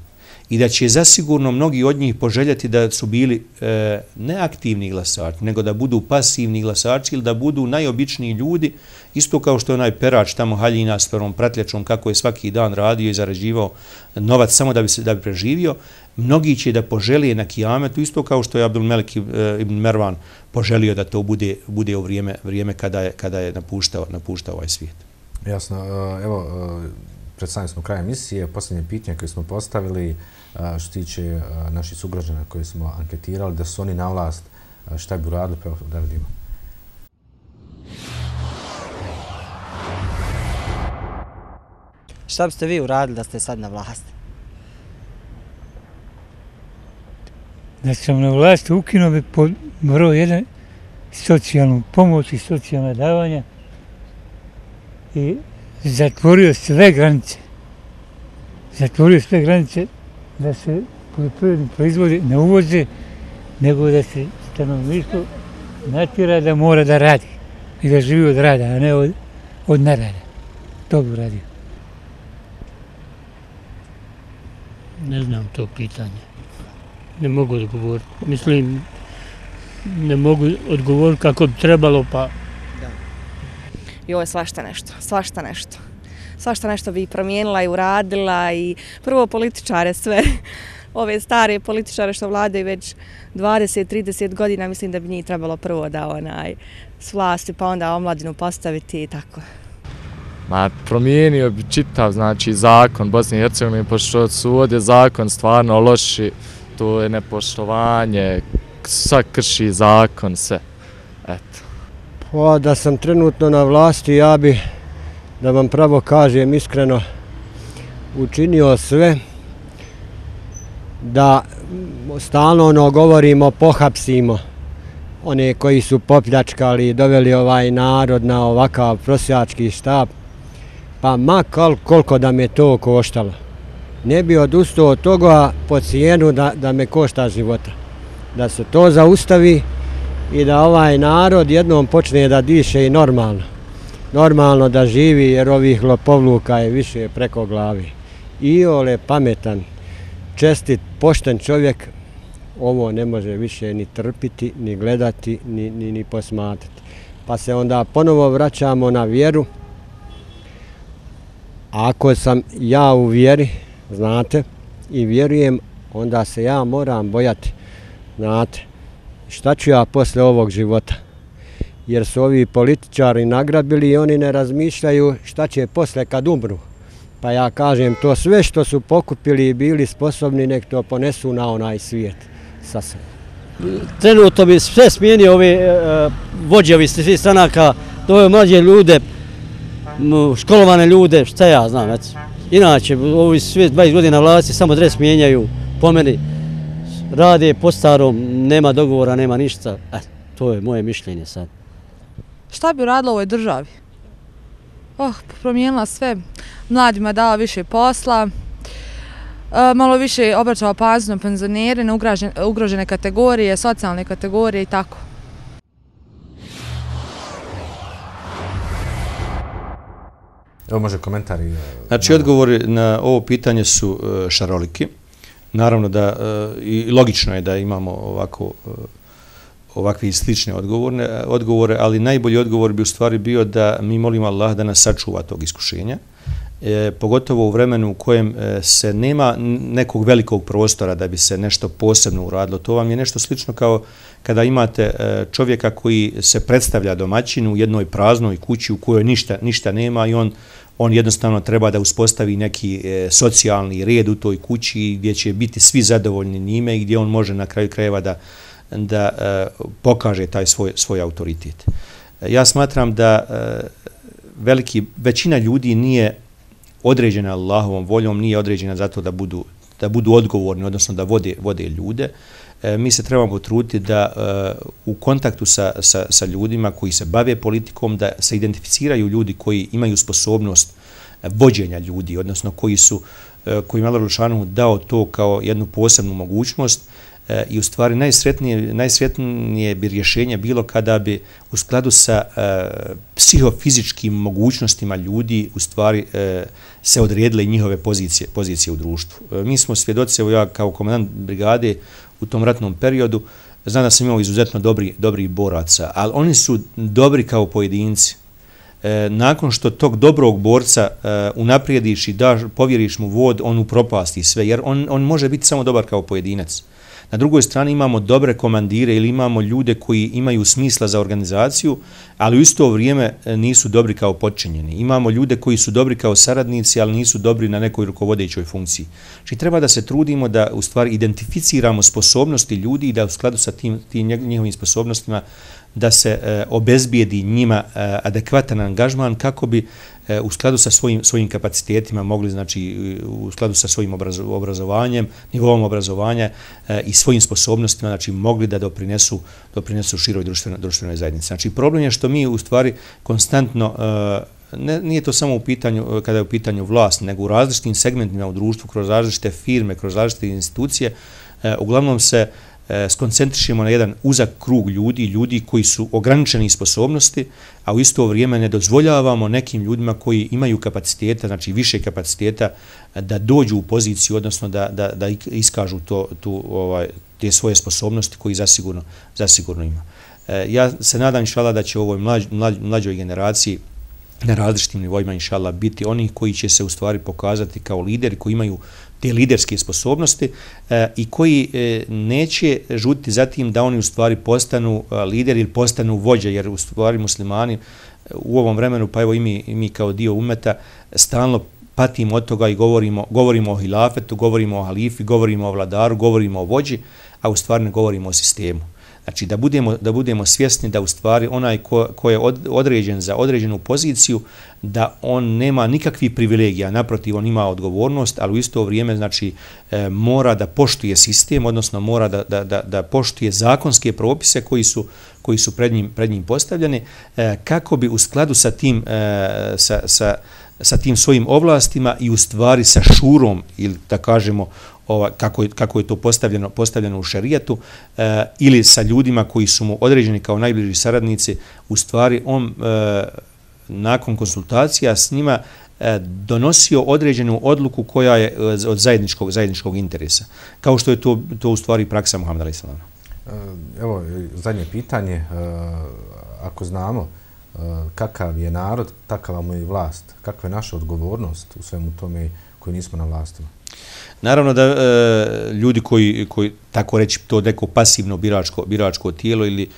I da će zasigurno mnogi od njih poželjeti da su bili neaktivni glasači, nego da budu pasivni glasači ili da budu najobičniji ljudi, isto kao što je onaj perač tamo Haljina s prvom pratljačom, kako je svaki dan radio i zarađivao novac samo da bi preživio. Mnogi će da poželije na kijametu, isto kao što je Abdul Melik ibn Mervan poželio da to bude u vrijeme kada je napuštao ovaj svijet. Jasno. Evo, predstavljeni smo kraj emisije. Posljednje pitanje koje smo postavili što tiče naših sugrađana koje smo anketirali, da su oni na vlast, šta bi uradili, pa da vidimo. Šta biste vi uradili da ste sad na vlasti? Da sam na vlasti ukinuo bi pod broj 1 socijalnu pomoć i socijalne davanja i zatvorio sve granice. Zatvorio sve granice da se poljoprivredni proizvodi ne uvoze, nego da se stanovništvo natjera da mora da radi i da živi od rada, a ne od nerada. To bi uradio. Ne znam to pitanje. Ne mogu odgovoriti. Mislim, ne mogu odgovoriti kako bi trebalo, pa... I ovo je svašta nešto. Svašta nešto bi promijenila i uradila i prvo političare sve, ove stare političare što vladaju već 20-30 godina, mislim da bi njih trebalo prvo da s vlasti pa onda omladinu postaviti i tako. Ma, promijenio bi čitav, znači, zakon Bosne i Hercegovine, pošto su ovdje zakon stvarno loši, to je nepoštovanje, sad krši zakon, sve. Eto. Pa da sam trenutno na vlasti, ja bi, da vam pravo kažem iskreno, učinio sve da stalno govorimo, pohapsimo one koji su popljačkali i doveli ovaj narod na ovakav prosjački štap, pa ma koliko da me to koštalo. Ne bi odustao od toga po cijenu da me košta života. Da se to zaustavi i da ovaj narod jednom počne da diše i normalno. Normalno da živi jer ovih lopovluka je više preko glavi. Iole pametan, čestit, pošten čovjek ovo ne može više ni trpiti, ni gledati, ni posmatrati. Pa se onda ponovo vraćamo na vjeru. Ako sam ja u vjeri, znate, i vjerujem, onda se ja moram bojati, znate, šta ću ja posle ovog života? Jer su ovi političari nagrabili i oni ne razmišljaju šta će posle kad umru. Pa ja kažem, to sve što su pokupili i bili sposobni, nek to ponesu na onaj svijet sa sobom. Trenutno bi sve smijenio ove vođe ovih svih stranaka, doveo mlađe ljude, školovane ljude, šta ja znam, eto. Inače, ovi svi 20 godina vlasti samo dres mijenjaju, po meni rade po starom, nema dogovora, nema ništa. To je moje mišljenje sad. Šta bi uradila u ovoj državi? Promijenila sve, mladima dala više posla, malo više obraćala pažnju na penzionere, na ugrožene kategorije, socijalne kategorije i tako. Evo može komentari. Znači, odgovori na ovo pitanje su šaroliki. Naravno da i logično je da imamo ovakve slične odgovore, ali najbolji odgovor bi u stvari bio da mi molimo Allah da nas sačuva tog iskušenja, pogotovo u vremenu u kojem se nema nekog velikog prostora da bi se nešto posebno uradilo. To vam je nešto slično kao kada imate čovjeka koji se predstavlja domaćinu u jednoj praznoj kući u kojoj ništa nema i on jednostavno treba da uspostavi neki socijalni red u toj kući gdje će biti svi zadovoljni njime i gdje on može na kraju krajeva da pokaže taj svoj autoritet. Ja smatram da većina ljudi nije određena Allahovom voljom, nije određena zato da budu odgovorni, odnosno da vode ljude. Mi se trebamo potruditi da u kontaktu sa ljudima koji se bave politikom, da se identificiraju ljudi koji imaju sposobnost vođenja ljudi, odnosno koji su koji je Allah Đelešanu dao to kao jednu posebnu mogućnost i u stvari najsretnije bi rješenje bilo kada bi u skladu sa psihofizičkim mogućnostima ljudi u stvari se odredile njihove pozicije u društvu. Mi smo svjedoci, evo ja kao komandant brigade u tom ratnom periodu, znam da sam imao izuzetno dobrih boraca, ali oni su dobri kao pojedinci. Nakon što tog dobrog borca unaprijediš i povjeriš mu vod, on upropasti sve, jer on može biti samo dobar kao pojedinac. Na drugoj strani imamo dobre komandire ili imamo ljude koji imaju smisla za organizaciju, ali u isto vrijeme nisu dobri kao podčinjeni. Imamo ljude koji su dobri kao saradnici, ali nisu dobri na nekoj rukovodećoj funkciji. Znači treba da se trudimo da u stvari identificiramo sposobnosti ljudi i da u skladu sa tim njihovim sposobnostima da se obezbijedi njima adekvatan angažman kako bi u skladu sa svojim kapacitetima mogli, znači u skladu sa svojim obrazovanjem, nivovom obrazovanja i svojim sposobnostima, znači mogli da doprinesu široj društvenoj zajednici. Znači problem je što mi u stvari konstantno, nije to samo u pitanju, kada je u pitanju vlast, nego u različitim segmentima u društvu, kroz različite firme, kroz različite institucije, uglavnom se skoncentrišemo na jedan uzak krug ljudi koji su ograničeni sposobnosti, a u isto vrijeme ne dozvoljavamo nekim ljudima koji imaju kapaciteta, znači više kapaciteta, da dođu u poziciju, odnosno da iskažu te svoje sposobnosti koji zasigurno ima. Ja se nadam, inšallah, da će u ovoj mlađoj generaciji na različitim nivoima, inšallah, biti oni koji će se u stvari pokazati kao lideri, koji imaju te liderske sposobnosti i koji neće žuditi za tim da oni u stvari postanu lideri ili postanu vođe, jer u stvari muslimani u ovom vremenu, pa evo i mi kao dio umeta, stalno patimo od toga i govorimo o hilafetu, govorimo o halifi, govorimo o vladaru, govorimo o vođi, a u stvari ne govorimo o sistemu. Znači da budemo svjesni da u stvari onaj ko je određen za određenu poziciju, da on nema nikakvih privilegija, naprotiv on ima odgovornost, ali u isto vrijeme znači mora da poštuje sistem, odnosno mora da poštuje zakonske propise koji su pred njim postavljeni, kako bi u skladu sa tim sa tim svojim ovlastima i u stvari sa šurom, ili da kažemo kako je to postavljeno u šerijatu, ili sa ljudima koji su mu određeni kao najbliži saradnici, u stvari on nakon konsultacija s njima donosio određenu odluku koja je od zajedničkog interesa. Kao što je to u stvari praksa Muhameda alejhi selam. Evo, zadnje pitanje. Ako znamo kakav je narod, takava mu je i vlast. Kakva je naša odgovornost u svemu tome koji nismo na vlastima? Naravno da ljudi koji tako reći to neko pasivno biračko tijelo ili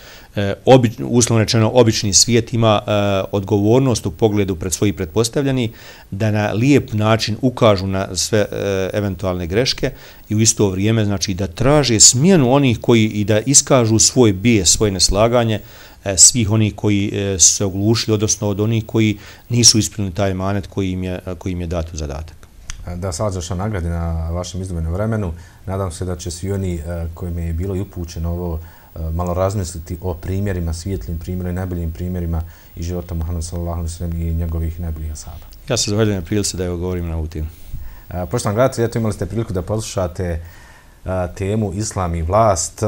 uslovno rečeno obični svijet ima odgovornost u pogledu pred svojih pretpostavljeni da na lijep način ukažu na sve eventualne greške i u isto vrijeme znači da traže smjenu onih koji i da iskažu svoj bijes, svoje neslaganje svih onih koji su se oglušili, odnosno od onih koji nisu ispunili taj emanet koji im je dat u zadatak. Da se Allaha nagradi na vašem izdvojenom vremenu. Nadam se da će svi oni kojima je bilo i upućeno ovo malo razmisliti o primjerima, svijetlim primjerima i najboljim primjerima i života Muhameda sallallahu alejhi ve sellem i njegovih najboljih ashaba. Ja se zahvaljujem na prilici da govorim na ovu temu. Poštovani gledatelji, imali ste priliku da poslušate temu Islam i vlast.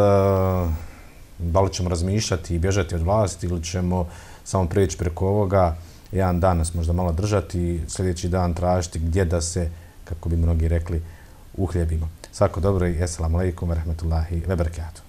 Da li ćemo razmišljati i bježati od vlasti ili ćemo samo preći preko ovoga, jedan dan nas možda malo držati, sljedeći dan tražiti gdje da se, kako bi mnogi rekli, uhljebimo. Svako dobro i assalamu alaikum wa rahmatullahi wa barakatuh.